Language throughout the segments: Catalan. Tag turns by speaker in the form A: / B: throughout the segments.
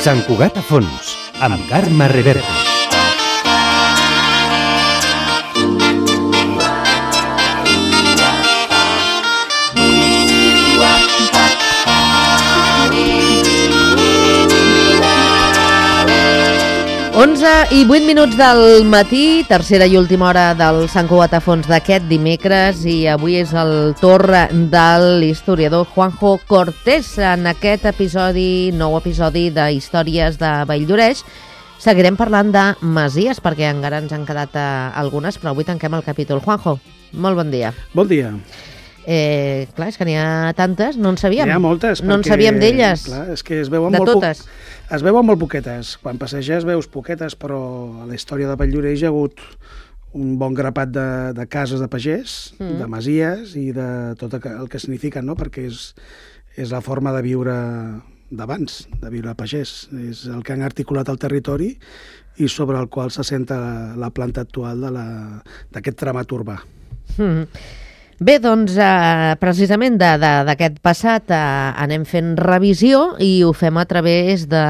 A: Sant Cugat a fons, amb Carme Reverte.
B: I 8 minuts del matí, tercera i última hora del Sant Cugat a fons d'aquest dimecres, i avui és el torn de l'historiador Juanjo Cortés. En aquest episodi, nou episodi de Històries de Valldoreix, seguirem parlant de masies, perquè encara ens han quedat algunes, però avui tanquem el capítol. Juanjo, molt bon dia.
C: Bon dia.
B: Clar, és que n'hi ha tantes, no en sabíem.
C: N'hi ha moltes.
B: No en sabíem d'elles.
C: Clar, és que es veuen
B: de
C: molt
B: totes.
C: Es veuen molt poquetes. Quan passeges veus poquetes, però a la història de Valldoreix hi ha hagut un bon grapat de cases de pagès, de masies i de tot el que signifiquen, no? Perquè és la forma de viure d'abans, de viure a pagès. És el que han articulat el territori i sobre el qual s'assenta la planta actual d'aquest tramat urbà.
B: Bé, doncs, precisament d'aquest passat anem fent revisió i ho fem a través de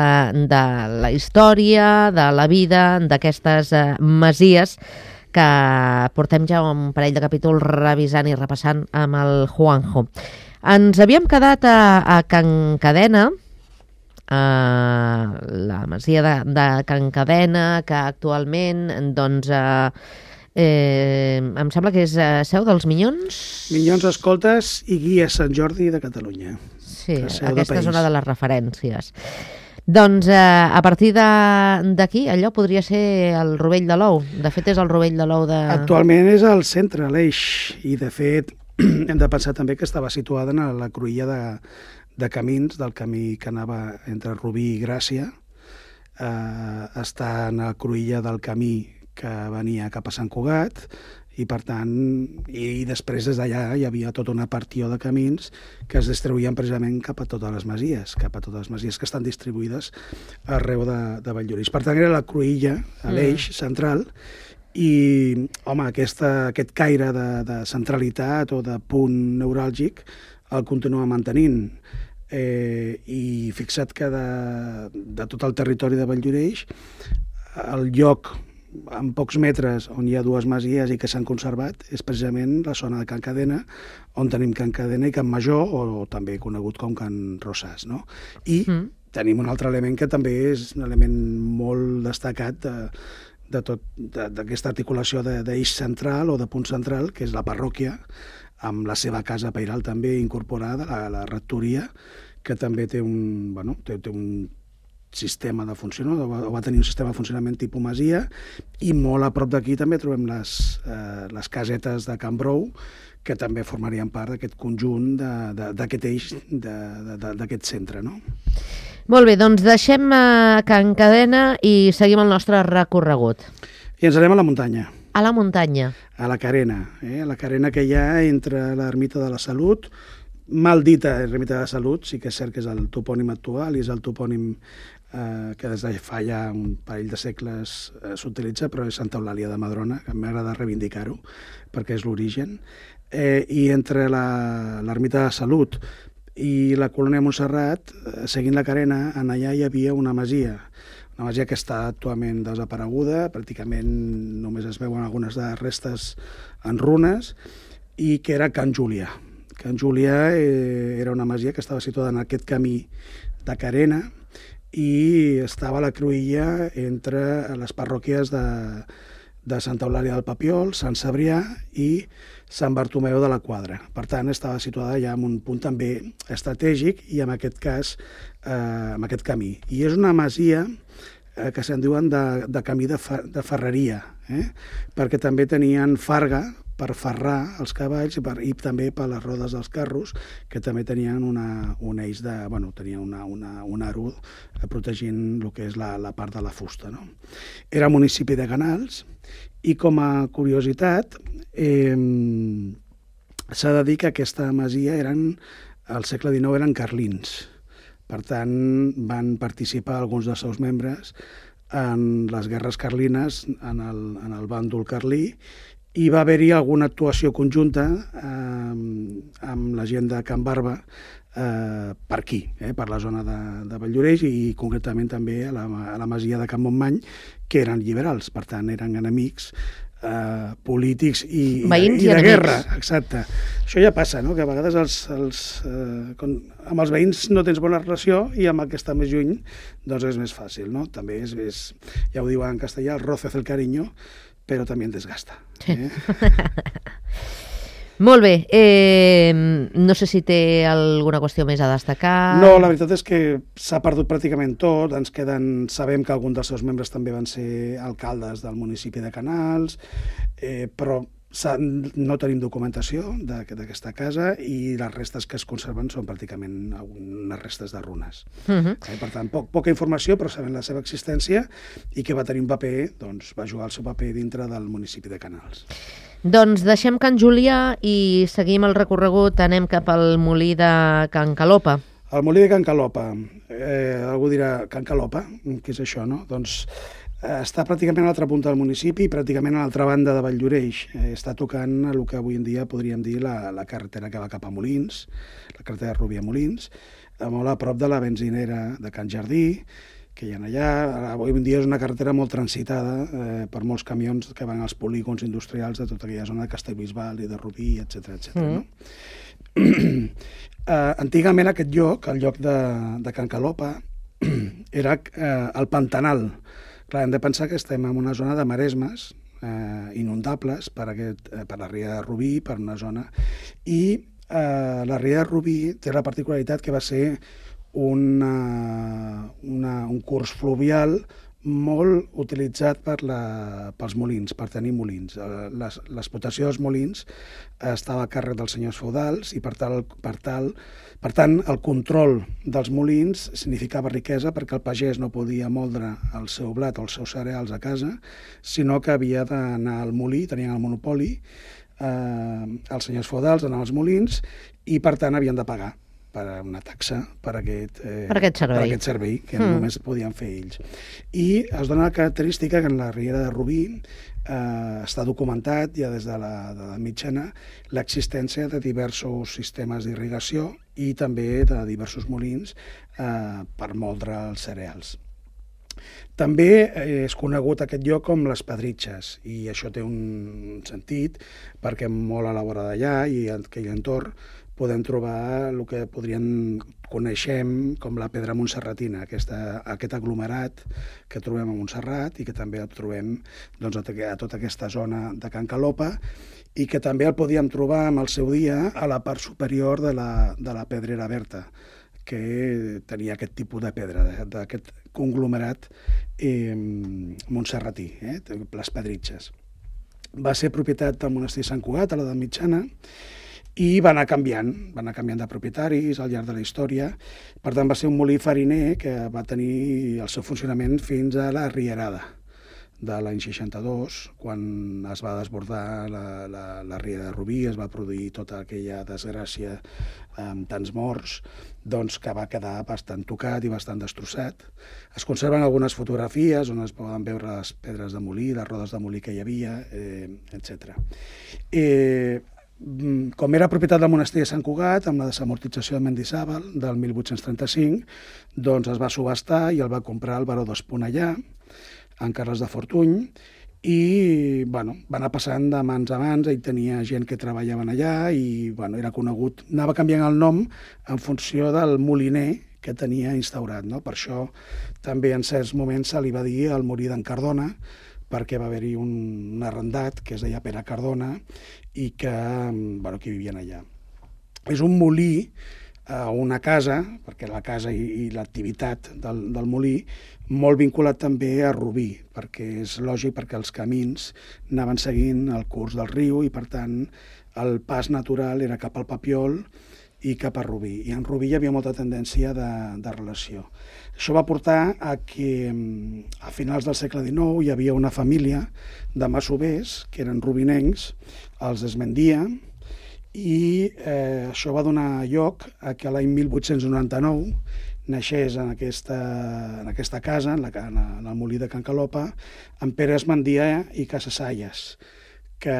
B: la història, de la vida d'aquestes masies que portem ja un parell de capítols revisant i repassant amb el Juanjo. Ens havíem quedat a Can Cadena, la masia de Can Cadena, que actualment, doncs, em sembla que és seu dels Minyons.
C: Minyons, Escoltes i Guia Sant Jordi de Catalunya.
B: Sí, aquesta és una de les referències. Doncs a partir d'aquí, allò podria ser el Rovell de l'Ou. De fet, és el Rovell de l'Ou de...
C: Actualment és al centre, l'Eix, i de fet hem de pensar també que estava situada en la cruïlla de camins, del camí que anava entre Rubí i Gràcia. Està en la cruïlla del camí que venia cap a Sant Cugat, i per tant, i després des d'allà hi havia tota una partió de camins que es distribuïen precisament cap a totes les masies que estan distribuïdes arreu de Valldoreix. Per tant, era la cruïlla, l'eix central, i, home, aquest caire de centralitat o de punt neuràlgic el continua mantenint. I fixa't que de tot el territori de Valldoreix, el lloc en pocs metres on hi ha dues masies i que s'han conservat és precisament la zona de Can Cadena, on tenim Can Cadena i Can Major, o també conegut com Can Rosàs, no? I tenim un altre element que també és un element molt destacat d'aquesta articulació d'eix central o de punt central, que és la parròquia, amb la seva casa pairal també incorporada, la rectoria, que també té un sistema de funcionament, o va tenir un sistema de funcionament tipus masia, i molt a prop d'aquí també trobem les casetes de Can Brou, que també formarien part d'aquest conjunt, d'aquest eix, d'aquest centre, no?
B: Molt bé, doncs deixem Can Cadena i seguim el nostre recorregut.
C: I ens anem a la muntanya.
B: A la muntanya.
C: A la Carena, la Carena que hi ha entre l'Ermita de la Salut, mal dita Ermita de la Salut, sí que és cert que és el topònim actual i és el topònim que des de fa ja un parell de segles s'utilitza, però és Santa Eulàlia de Madrona, que m'agrada reivindicar-ho, perquè és l'origen. I entre l'Ermita de la Salut i la Colònia Montserrat, seguint la Carena, en allà hi havia una masia que està actualment desapareguda, pràcticament només es veuen algunes de restes en runes, i que era Can Júlia. Can Júlia era una masia que estava situada en aquest camí de Carena i estava a la cruïlla entre les parròquies de Santa Eulàlia del Papiol, Sant Cebrià i Sant Bartomeu de la Quadra. Per tant, estava situada ja en un punt també estratègic i en aquest cas en aquest camí. I és una masia que se'n diuen de camí de ferreria, perquè també tenien farga per ferrar els cavalls i també per les rodes dels carros, que també tenien un eix tenien un aro protegint el que és la part de la fusta, no? Era municipi de Canals i, com a curiositat, s'ha de dir que aquesta masia al segle XIX eren carlins. Per tant, van participar alguns dels seus membres en les guerres carlines, en el bàndol carlí, i va haver-hi alguna actuació conjunta amb la gent de Can Barba per aquí, per la zona de Valldoreix i concretament també a la masia de Can Montmany, que eren liberals, per tant eren enemics polítics i de guerra. Exacte. Això ja passa, no? Que a vegades amb els veïns no tens bona relació i amb el que està més lluny doncs és més fàcil, no? També és ja ho diuen en castellà, el roce hace el cariño, però també en desgasta.
B: Molt bé. No sé si té alguna qüestió més a destacar.
C: No, la veritat és que s'ha perdut pràcticament tot. Sabem que alguns dels seus membres també van ser alcaldes del municipi de Canals, però no tenim documentació d'aquesta casa i les restes que es conserven són pràcticament unes restes de runes. Per tant, poca informació, però sabem la seva existència i que va tenir un paper, doncs va jugar el seu paper dintre del municipi de Canals.
B: Doncs deixem Can Julià i seguim el recorregut, anem cap al molí de Can Calopa.
C: El molí de Can Calopa, algú dirà, Can Calopa, què és això, no? Doncs està pràcticament a l'altra punta del municipi i pràcticament a l'altra banda de Valldoreix. Està tocant el que avui en dia podríem dir la carretera que va cap a Molins, la carretera de Rubí a Molins, molt a prop de la benzinera de Can Jardí, que hi ha allà. Avui en dia és una carretera molt transitada per molts camions que van als polígons industrials de tota aquella zona de Castellbisbal i de Rubí, etc. No? Antigament aquest lloc, el lloc de Can Calopa, era el Pantanal. Clar, hem de pensar que estem en una zona de maresmes inundables per la ria de Rubí, per una zona, i la ria de Rubí té la particularitat que va ser un curs fluvial molt utilitzat pels molins, per tenir molins. L'explotació dels molins estava a càrrec dels senyors feudals i per tant el control dels molins significava riquesa perquè el pagès no podia moldre el seu blat o els seus cereals a casa, sinó que havia d'anar al molí, tenien el monopoli, els senyors feudals anaven als molins i per tant havien de pagar per una taxa per aquest servei que només podien fer ells. I es dona la característica que en la riera de Rubí està documentat ja des de la mitjana l'existència de diversos sistemes d'irrigació i també de diversos molins per moldre els cereals. També és conegut aquest lloc com les Pedritxes i això té un sentit perquè molt a la vora d'allà i en aquell entorn podem trobar el que coneixem com la pedra montserratina, aquest aglomerat que trobem a Montserrat i que també el trobem doncs, a tota aquesta zona de Can Calopa i que també el podíem trobar en el seu dia a la part superior de la Pedrera Berta, que tenia aquest tipus de pedra, d'aquest conglomerat montserratí, les Pedritxes. Va ser propietat del monestir Sant Cugat a l'edat mitjana i va anar canviant de propietaris al llarg de la història. Per tant, va ser un molí fariner que va tenir el seu funcionament fins a la Rierada de l'any 62, quan es va desbordar la riera de Rubí, es va produir tota aquella desgràcia amb tants morts, doncs que va quedar bastant tocat i bastant destrossat. Es conserven algunes fotografies on es poden veure les pedres de molí, les rodes de molí que hi havia, etc. Com era propietat del monestir de Sant Cugat, amb la desamortització de Mendizábal del 1835, doncs es va subhastar i el va comprar el baró d'Esponellà, en Carles de Fortuny, i va anar passant de mans a mans, ell tenia gent que treballaven allà i era conegut, anava canviant el nom en funció del moliner que tenia instaurat. Per això també en certs moments se li va dir el molí d'en Cardona, perquè va haver-hi un arrendat que es deia Pere Cardona i que vivien allà. És un molí, una casa, perquè la casa i l'activitat del molí, molt vinculat també a Rubí, perquè és lògic perquè els camins anaven seguint el curs del riu i, per tant, el pas natural era cap al Papiol i cap a Rubí. I en Rubí hi havia molta tendència de relació. Això va portar a que a finals del segle XIX hi havia una família de masovers, que eren rubinencs, els Esmendia, i això va donar lloc a que l'any 1899 naixés en aquesta casa, en el molí de Can Calopa, en Pere Esmendia i Casasalles, que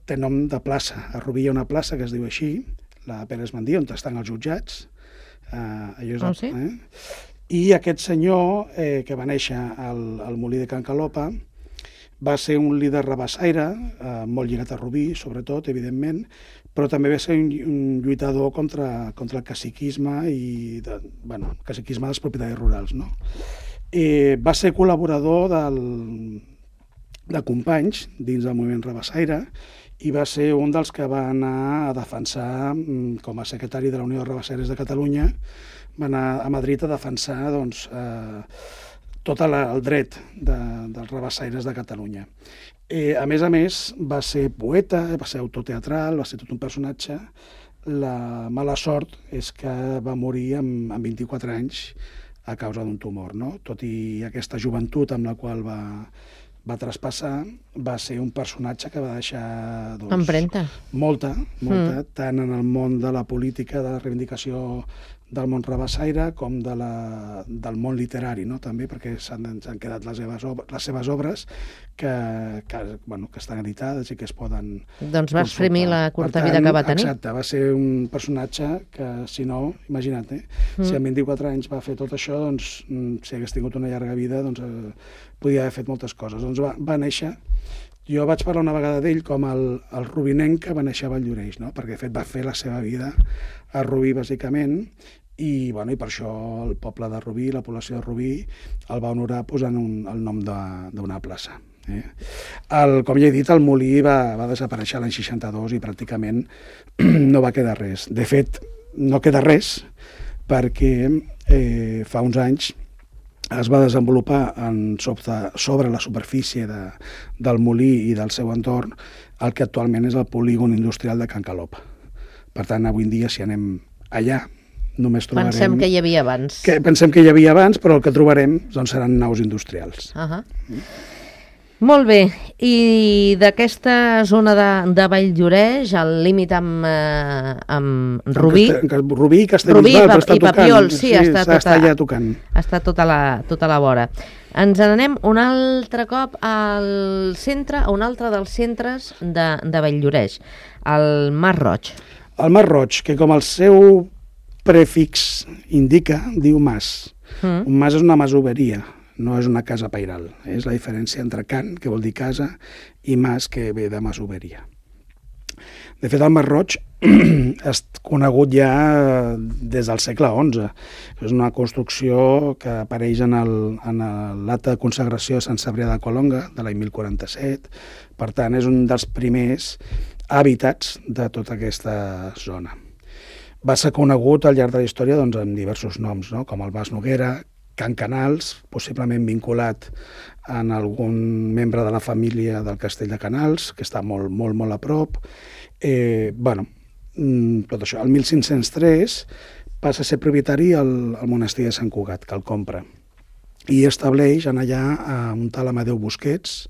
C: té nom de plaça. A Rubí hi ha una plaça que es diu així, la Pere Esmendia, on estan els jutjats,
B: Sí?
C: I aquest senyor, que va néixer al molí de Can Calopa, va ser un líder rabassaire, molt lligat a Rubí, sobretot, evidentment, però també va ser un lluitador contra el caciquisme caciquisme dels propietaris rurals, no? Va ser col·laborador de Companys dins del moviment rabassaire i va ser un dels que va anar a defensar, com a secretari de la Unió de Rabassaires de Catalunya, va anar a Madrid a defensar tot el dret dels rabassaires de Catalunya. A més, va ser poeta, va ser autor teatral, va ser tot un personatge. La mala sort és que va morir amb 24 anys a causa d'un tumor, no? Tot i aquesta joventut amb la qual va traspassar, va ser un personatge que va deixar
B: empremta.
C: Molta, tant en el món de la política, de la reivindicació del món rabassaire com del món literari, no? També perquè s'han quedat les seves obres que estan editades i que es poden
B: Doncs va exprimir la curta vida que va tenir.
C: Exacte, va ser un personatge que, si no, imagina't, si amb 24 anys va fer tot això, doncs, si hagués tingut una llarga vida, doncs podia haver fet moltes coses. Doncs va néixer. Jo vaig parlar una vegada d'ell com el rubinenc que va néixer a Valldoreix, no? Perquè de fet va fer la seva vida a Rubí, bàsicament, i per això el poble de Rubí, la població de Rubí, el va honorar posant el nom d'una plaça. Com ja he dit, el molí va desaparèixer l'any 62 i pràcticament no va quedar res. De fet, no queda res perquè fa uns anys es va desenvolupar sobre la superfície del molí i del seu entorn el que actualment és el polígon industrial de Can Calopa. Per tant, avui en dia, si anem allà, només trobarem...
B: Pensem que hi havia abans.
C: Pensem que hi havia abans, però el que trobarem seran naus industrials.
B: Molt bé. I d'aquesta zona de Valldoreix, al límit amb Rubí...
C: Rubí i Castellbisbal, però està
B: tocant. Papiol, sí, està
C: allà tocant.
B: Està tota la vora. Ens n'anem un altre cop al centre, a un altre dels centres de Valldoreix, el Mas Roig.
C: El Mas Roig, que com el seu prefix indica, diu mas. Un mas és una masoveria, no és una casa pairal. És la diferència entre can, que vol dir casa, i mas, que ve de masoveria. De fet, el Mas Roig és conegut ja des del segle XI. És una construcció que apareix en l'acte de consagració de Sant Cebrià de Colonga, de l'any 1047. Per tant, és un dels primers hàbitats de tota aquesta zona. Va ser conegut al llarg de la història amb diversos noms, com el Mas Noguera, Can Canals, possiblement vinculat en algun membre de la família del Castell de Canals, que està molt, molt, molt a prop. Tot això. El 1503 passa a ser propietari el monestir de Sant Cugat, que el compra, i estableix allà un tal Amadeu Busquets,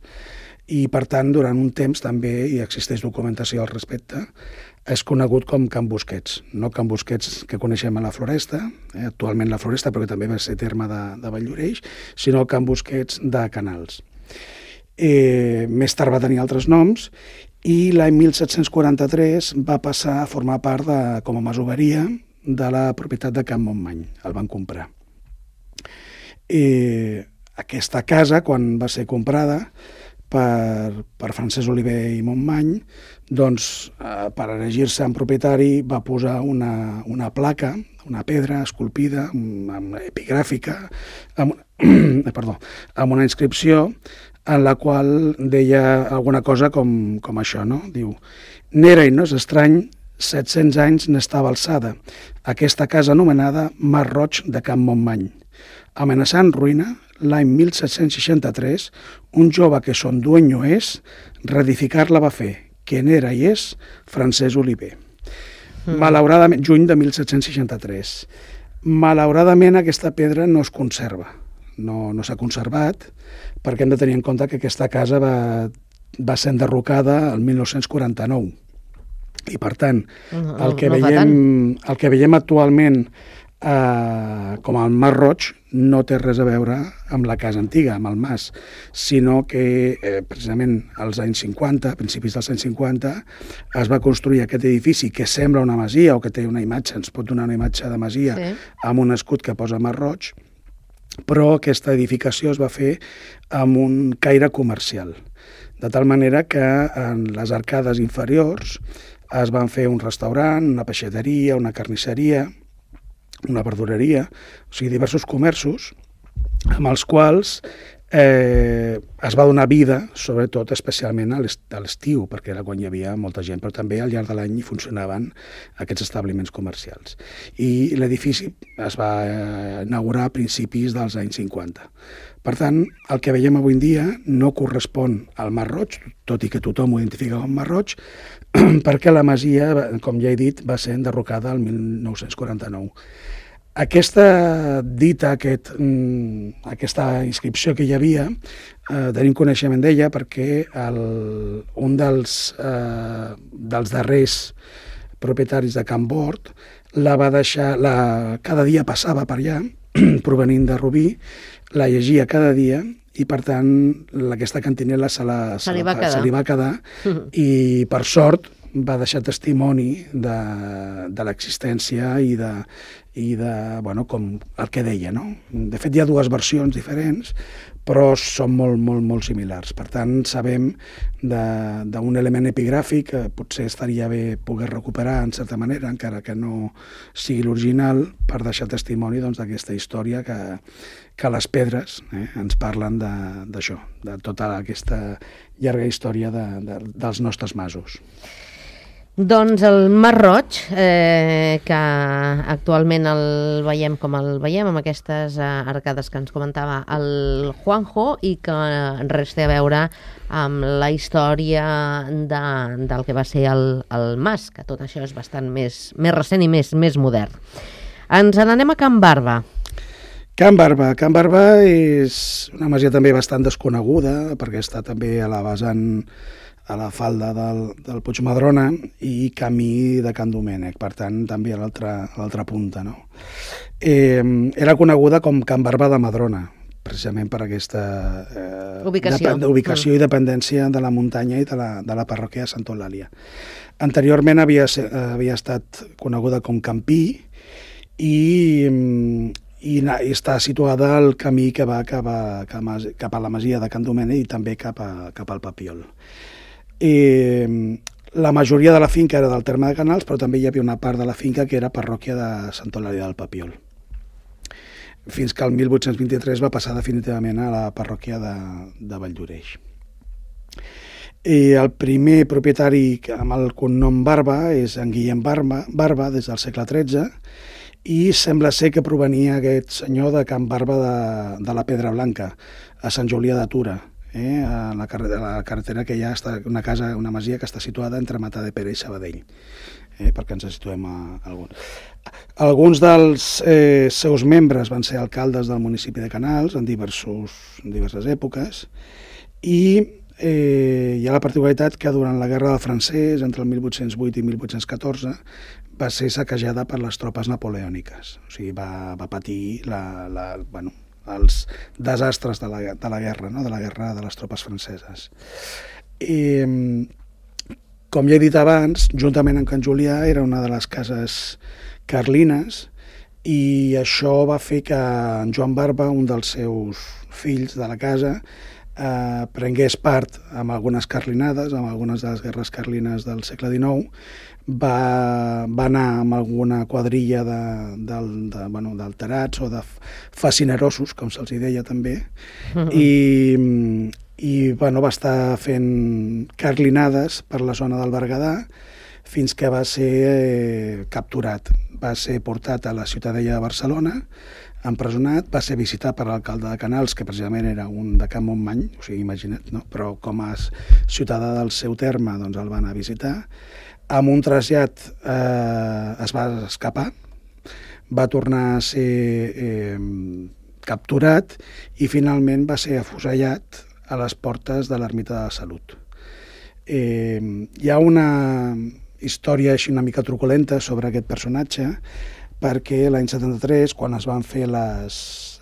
C: i per tant durant un temps també hi existeix documentació al respecte. És conegut com Can Busquets, no Can Busquets que coneixem a la Floresta, actualment la Floresta, però que també va ser terme de Valldoreix, sinó Can Busquets de Canals. Més tard va tenir altres noms i l'any 1743 va passar a formar part com a masoveria de la propietat de Can Montmany, el van comprar. Aquesta casa, quan va ser comprada per Francesc Oliver i Montmany, doncs, per elegir-se en propietari, va posar una placa, una pedra esculpida, epigràfica, amb una inscripció en la qual deia alguna cosa com això, no? Diu: «N'era i no és estrany, 700 anys n'estava alçada, aquesta casa anomenada Mas Roig de Can Montmany. Amenaçant ruïna, l'any 1763, un jove que son dueño és, reedificar-la va fer, que n'era i és Francesc Oliver». Malauradament, juny de 1763. Malauradament aquesta pedra no es conserva, no s'ha conservat, perquè hem de tenir en compte que aquesta casa va ser enderrocada el 1949. I per tant, el que veiem actualment com el Mas Roig no té res a veure amb la casa antiga, amb el mas, sinó que precisament als anys 50, a principis dels anys 50, es va construir aquest edifici que sembla una masia o que té una imatge, ens pot donar una imatge de masia amb un escut que posa Mas Roig, però aquesta edificació es va fer amb un caire comercial, de tal manera que en les arcades inferiors es van fer un restaurant, una peixateria, una carnisseria, una verdureria, o sigui, diversos comerços amb els quals es va donar vida, sobretot especialment a l'estiu, perquè era quan hi havia molta gent, però també al llarg de l'any funcionaven aquests establiments comercials. I l'edifici es va inaugurar a principis dels anys 50. Per tant, el que veiem avui en dia no correspon al Mas Roig, tot i que tothom ho identifica com Mas Roig, perquè la masia, com ja he dit, va ser enderrocada el 1949. Aquesta dita, aquesta inscripció que hi havia, tenim coneixement d'ella perquè un dels darrers propietaris de Can Bord la va deixar, cada dia passava per allà, provenint de Rubí, la llegia cada dia i, per tant, aquesta cantinela se li va quedar i, per sort, va deixar testimoni de l'existència i de com el que deia, no? De fet, hi ha dues versions diferents, però són molt similars. Per tant, sabem d'un element epigràfic que potser estaria bé poder recuperar, en certa manera, encara que no sigui l'original, per deixar testimoni d'aquesta història que les pedres ens parlen d'això, de tota aquesta llarga història dels nostres masos.
B: Doncs el Mas Roig, que actualment el veiem com el veiem, amb aquestes arcades que ens comentava el Juanjo, i que res té a veure amb la història del que va ser el mas, que tot això és bastant més recent i més modern. Ens n'anem a Can Barba.
C: Can Barba és una masia també bastant desconeguda, perquè està també a la vessant, a la falda del Puigmadrona i camí de Can Domènec, per tant, també a l'altra punta, no? Era coneguda com Can Barba de Madrona, precisament per aquesta ubicació i dependència de la muntanya i de la parròquia de Santa Eulàlia. Anteriorment havia estat coneguda com Campí i està situada al camí que va cap a la masia de Can Domènec i també cap al Papiol. La majoria de la finca era del terme de Canals, però també hi havia una part de la finca que era parròquia de Santa Eulàlia del Papiol, fins que el 1823 va passar definitivament a la parròquia de Valldoreix. El primer propietari amb el cognom Barba és en Guillem Barba des del segle XIII, i sembla ser que provenia aquest senyor de Can Barba de la Pedra Blanca, a Sant Julià de Tura, a la carretera que hi ha una masia que està situada entre Matadepera i Sabadell, perquè ens situem a alguns. Alguns dels seus membres van ser alcaldes del municipi de Canals en diverses èpoques, i hi ha la particularitat que durant la Guerra del Francès, entre el 1808 i 1814, va ser saquejada per les tropes napoleòniques. O sigui, va patir els desastres de la guerra, no? De la guerra de les tropes franceses. Com ja he dit abans, juntament amb Can Julià era una de les cases carlines, i això va fer que en Joan Barba, un dels seus fills de la casa, prengués part amb algunes carlinades, amb algunes de les guerres carlines del segle XIX, va anar amb alguna quadrilla d'alterats o de fascinerosos, com se'ls deia també, i va estar fent carlinades per la zona del Berguedà fins que va ser capturat. Va ser portat a la Ciutadella de Barcelona, empresonat, va ser visitat per l'alcalde de Canals, que precisament era un de Can Montmany, o sigui, imagina't, no? Però com a ciutadà del seu terme doncs el van anar a visitar. Amb un trasllat es va escapar, va tornar a ser capturat i finalment va ser afusellat a les portes de l'Ermita de la Salut. Hi ha una història així una mica truculenta sobre aquest personatge, perquè l'any 73, quan es van fer les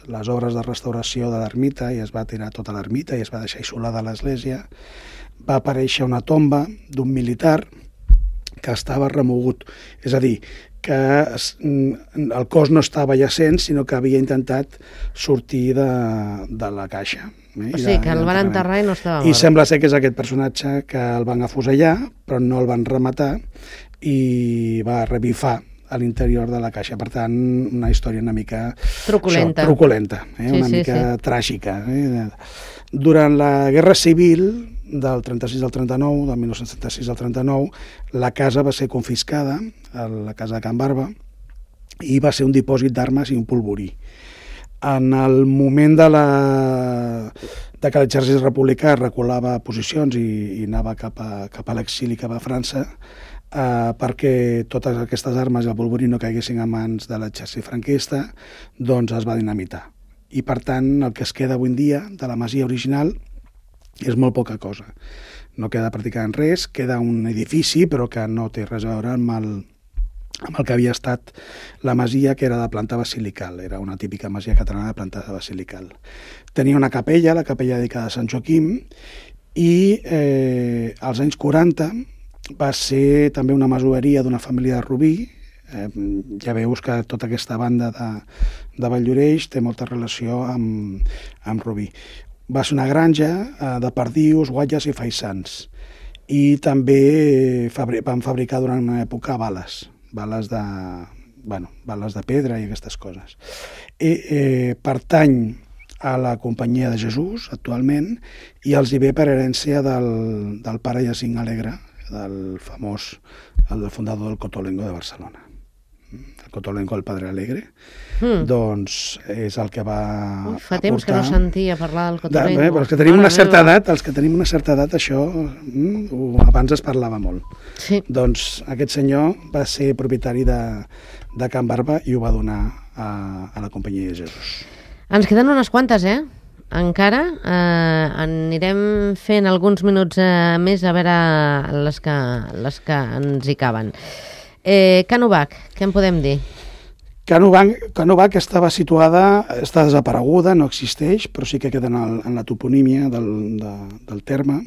C: les obres de restauració de l'ermita i es va tirar tota l'ermita i es va deixar isolada l'església, va aparèixer una tomba d'un militar que estava remogut. És a dir, que el cos no estava jacent, sinó que havia intentat sortir de la caixa.
B: O sigui, que el van enterrar i no estava mort.
C: I sembla ser que és aquest personatge que el van afusellar, però no el van rematar i va revifar a l'interior de la caixa. Per tant, una història una mica...
B: Truculenta.
C: Truculenta, una mica tràgica. Durant la Guerra Civil del 36 al 39, del 1936 al 39, la casa va ser confiscada, la casa de Can Barba, i va ser un dipòsit d'armes i un polvorí. En el moment de que l'exèrcit republicà reculava posicions i anava cap a l'exili, cap a França, perquè totes aquestes armes i el polvorí no caiguessin a mans de l'exèrcit franquista, doncs es va dinamitar. I per tant, el que es queda avui en dia de la masia original és molt poca cosa. No queda pràcticament res, queda un edifici, però que no té res a veure amb el que havia estat la masia, que era de planta basilical. Era una típica masia catalana de planta basilical. Tenia una capella, la capella dedicada a Sant Joaquim, i als anys 40 va ser també una masoveria d'una família de Rubí. Ja veus que tota aquesta banda de Valldoreix té molta relació amb Rubí. Va ser una granja de perdius, guatlles i faisans. I també van fabricar durant una època bales de pedra i aquestes coses. Pertany a la Companyia de Jesús, actualment, i els hi ve per herència del pare Jacint Alegre, del famós, el fundador del Cotolengo de Barcelona. El Cotolengo, el Padre Alegre, doncs és el que va aportar...
B: Fa temps que no sentia parlar del Cotolengo.
C: Però els que tenim una certa edat, això abans es parlava molt.
B: Sí.
C: Doncs aquest senyor va ser propietari de Can Barba i ho va donar a la Companyia de Jesús.
B: Ens queden unes quantes, encara. Anirem fent alguns minuts més a veure les que ens hi caben. Can Ubac, què en podem dir?
C: Can Ubac està desapareguda, no existeix, però sí que queda en la toponímia del terme,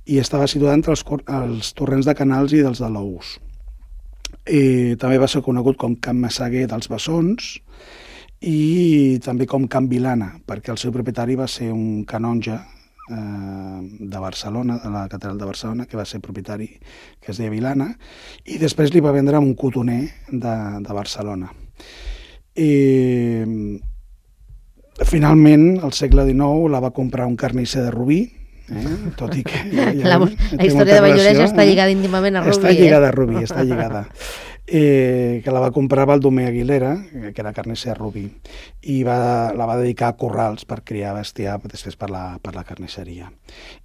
C: i estava situada entre els torrents de Canals i dels de l'Ous. També va ser conegut com Can Massaguer dels Bessons, i també com Can Vilana, perquè el seu propietari va ser un canonge de Barcelona, de la catedral de Barcelona, que va ser propietari, que es deia Vilana, i després li va vendre un cotoner de Barcelona. Finalment, al segle XIX, la va comprar un carnisser de Rubí, tot i que...
B: La història de Valldoreix està lligada íntimament a Rubí.
C: Està lligada a Rubí, està lligada. Que la va comprar Baldomer Aguilera, que era carnisser de Rubí, i la va dedicar a corrals per criar bestiar després per la carnisseria.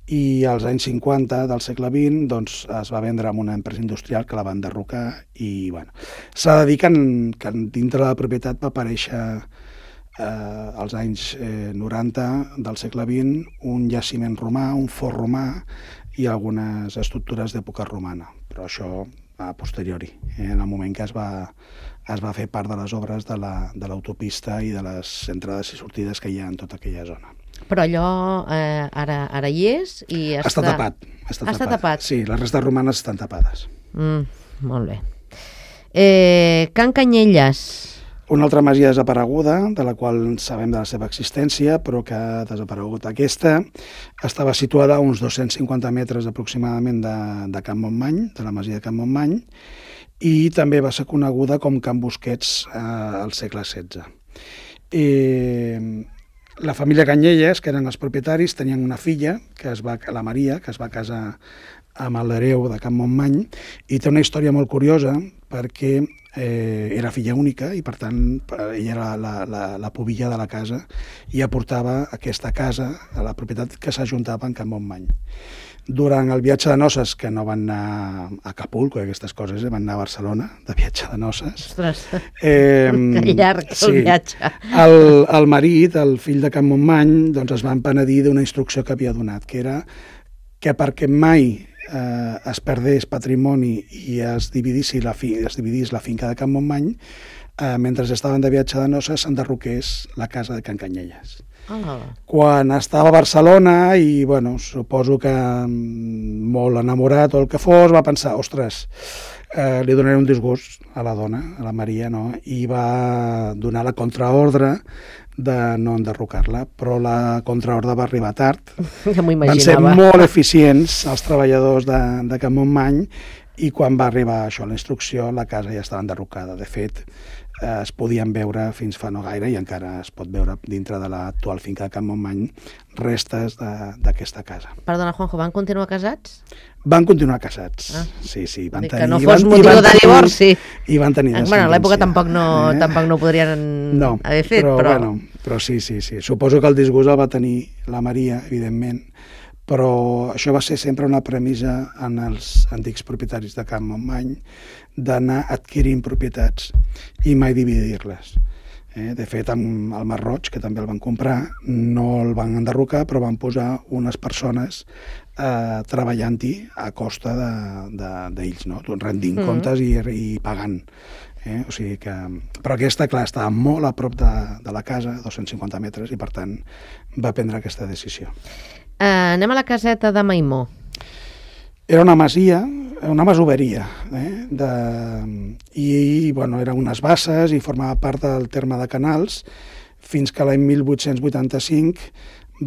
C: I als anys 50 del segle XX doncs, es va vendre amb una empresa industrial que la va enderrocar i s'ha de dir que dintre de la propietat va aparèixer als anys 90 del segle XX un jaciment romà, un fort romà i algunes estructures d'època romana, però això a posteriori, en el moment que es va fer part de les obres de l'autopista i de les entrades i sortides que hi ha en tota aquella zona.
B: Però allò ara hi és i
C: està tapat. Està tapat. Sí, les restes romanes estan tapades.
B: Molt bé. Can Canyelles.
C: Una altra masia desapareguda, de la qual sabem de la seva existència, però que ha desaparegut. Aquesta estava situada a uns 250 metres aproximadament de Can Montmany, de la masia de Can Montmany, i també va ser coneguda com Can Busquets al segle XVI. La família Canyelles, que eren els propietaris, tenien una filla, la Maria, que es va casar amb l'hereu de Can Montmany, i té una història molt curiosa perquè era filla única i per tant ella era la pubilla de la casa i aportava aquesta casa a la propietat que s'ajuntava en Can Montmany. Durant el viatge de noces, que no van anar a Acapulco i aquestes coses, van anar a Barcelona de viatge de noces.
B: Ostres, que llarg el viatge.
C: El marit, el fill de Can Montmany, doncs es va penedir d'una instrucció que havia donat, que era que perquè mai es perdés patrimoni i es dividís la finca de Can Montmany, mentre estaven de viatge de noces s'enderroqués la casa de Can Canyelles. Quan estava a Barcelona i, bueno, suposo que molt enamorat o el que fos, va pensar, ostres, li donaré un disgust a la dona, a la Maria, no? I va donar la contraordre de no enderrocar-la, però la contraordre va arribar tard.
B: Ja m'ho
C: Van ser
B: imaginava.
C: molt eficients els treballadors de Can Montmany i quan va arribar això, la instrucció, la casa ja estava enderrocada. De fet, es podien veure fins fa no gaire i encara es pot veure dintre de l'actual finca de Can Montmany restes d'aquesta casa.
B: Perdona, Juanjo, van continuar casats?
C: Van continuar casats, sí, van
B: Que
C: tenir...
B: no fos motiu de divorci.
C: I van tenir descendència.
B: Bueno, a l'època tampoc no ho podrien haver fet,
C: però sí. Suposo que el disgust el va tenir la Maria, evidentment, però això va ser sempre una premissa en els antics propietaris de Can Montmany d'anar adquirint propietats i mai dividir-les. De fet, amb el Masroig, que també el van comprar, no el van enderrocar, però van posar unes persones treballant-hi a costa d'ells, no? Rendint comptes i pagant. O sigui que... Però aquesta, clar, estava molt a prop de la casa, 250 metres, i per tant va prendre aquesta decisió.
B: Anem a la caseta de Maimó.
C: Era una masia, una masoveria, i bueno, eren unes basses i formava part del terme de Canals, fins que l'any 1885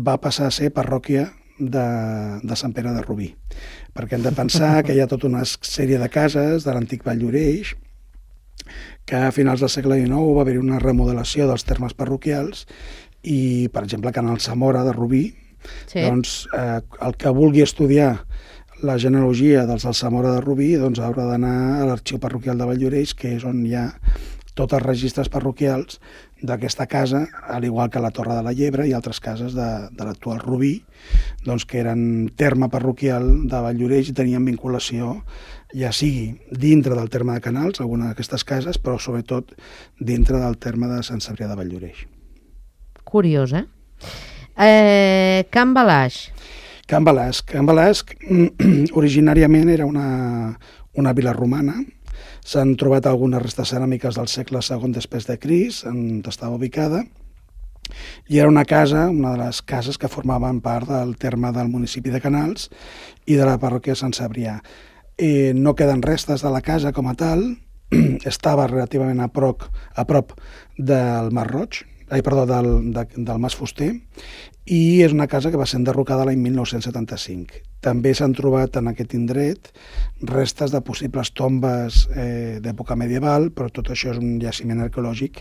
C: va passar a ser parròquia de Sant Pere de Rubí. Perquè hem de pensar que hi ha tota una sèrie de cases de l'antic Vall d'Oreix, que a finals del segle XIX va haver una remodelació dels termes parroquials i, per exemple, Canal Samora de Rubí, doncs el que vulgui estudiar la genealogia dels Alsamora de Rubí doncs haurà d'anar a l'arxiu parroquial de Vall d'Oreix, que és on hi ha tots els registres parroquials d'aquesta casa, al igual que la Torre de la Llebre i altres cases de l'actual Rubí, doncs que eren terme parroquial de Vall d'Oreix i tenien vinculació, ja sigui dintre del terme de Canals, alguna d'aquestes cases, però sobretot dintre del terme de Sant Cebrià de Vall d'Oreix.
B: Curiós, Can Balaix.
C: Can Balasc originàriament era una vila romana. S'han trobat algunes restes ceràmiques del segle II després de Crist, on estava ubicada, i era una casa, una de les cases que formaven part del terme del municipi de Canals i de la parròquia de Sant Cebrià. No queden restes de la casa com a tal, estava relativament a prop del Masroig, del Mas Fuster, i és una casa que va ser enderrocada l'any 1975. També s'han trobat en aquest indret restes de possibles tombes d'època medieval, però tot això és un jaciment arqueològic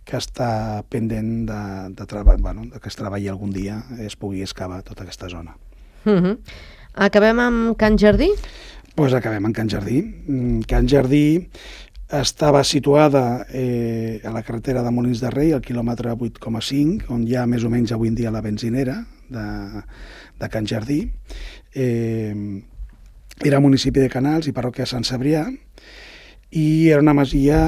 C: que està pendent que es treballi algun dia, es pugui excavar tota aquesta zona.
B: Acabem amb Can Jardí?
C: Doncs acabem amb Can Jardí. Can Jardí estava situada a la carretera de Molins de Rei, al quilòmetre 8,5, on hi ha més o menys avui en dia la benzinera de Can Jardí. Era municipi de Canals i parròquia de Sant Cebrià, i era una masia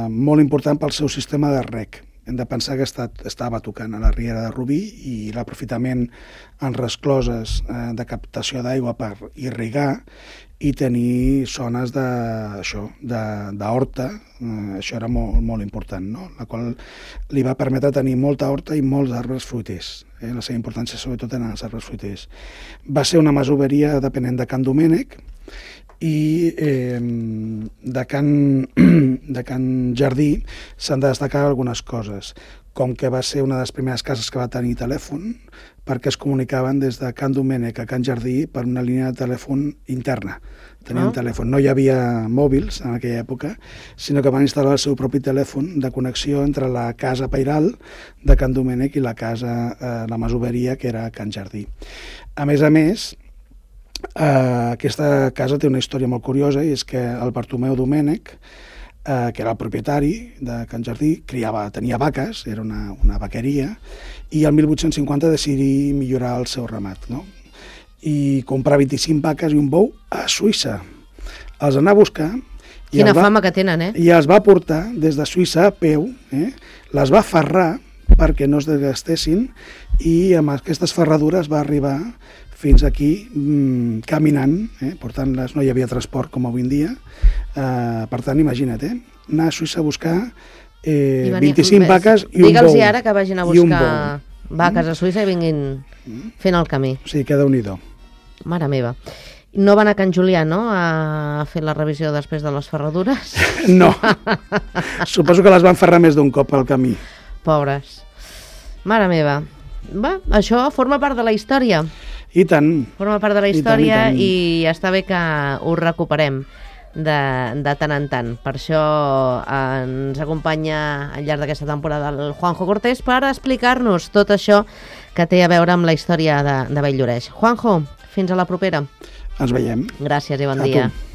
C: molt important pel seu sistema de reg. Hem de pensar que estava tocant a la riera de Rubí i l'aprofitament en rescloses de captació d'aigua per irrigar i tenir zones d'horta, això era molt important, no? La qual li va permetre tenir molta horta i molts arbres fruiters. La seva importància sobretot en els arbres fruiters. Va ser una masoveria depenent de Can Domènec, i de Can Jardí s'han de destacar algunes coses, com que va ser una de les primeres cases que va tenir telèfon, perquè es comunicaven des de Can Domènec a Can Jardí per una línia de telèfon interna. Tenien telèfon. No hi havia mòbils en aquella època, sinó que van instal·lar el seu propi telèfon de connexió entre la casa pairal de Can Domènec i la masoveria, que era Can Jardí. A més, aquesta casa té una història molt curiosa, i és que el Bartomeu Domènec, que era el propietari de Can Jardí, tenia vaques, era una vaqueria, i el 1850 decidí millorar el seu ramat, no? I comprar 25 vaques i un bou a Suïssa. Els anà a buscar...
B: Quina fama que tenen,
C: I els va portar des de Suïssa a peu, les va ferrar perquè no es desgastessin, i amb aquestes ferradures va arribar fins aquí caminant, portant-les, no hi havia transport com avui en dia, per tant, imagina't, anar a Suïssa a buscar 25 vaques i un bou.
B: Digue'ls ara que vagin a buscar vaques a Suïssa i vinguin fent el camí.
C: O sigui, que Déu-n'hi-do.
B: Mare meva. No van a Can Julià, no?, a fer la revisió després de les ferradures?
C: No. Suposo que les van ferrar més d'un cop al camí.
B: Pobres. Mare meva. Va, això forma part de la història.
C: I tant.
B: Forma part de la història
C: i tant.
B: i està bé que ho recuperem de tant en tant. Per això ens acompanya al llarg d'aquesta temporada el Juanjo Cortés per explicar-nos tot això que té a veure amb la història de Bell-lloreix. Juanjo, fins a la propera.
C: Ens veiem.
B: Gràcies i bon
C: A
B: dia.
C: tu.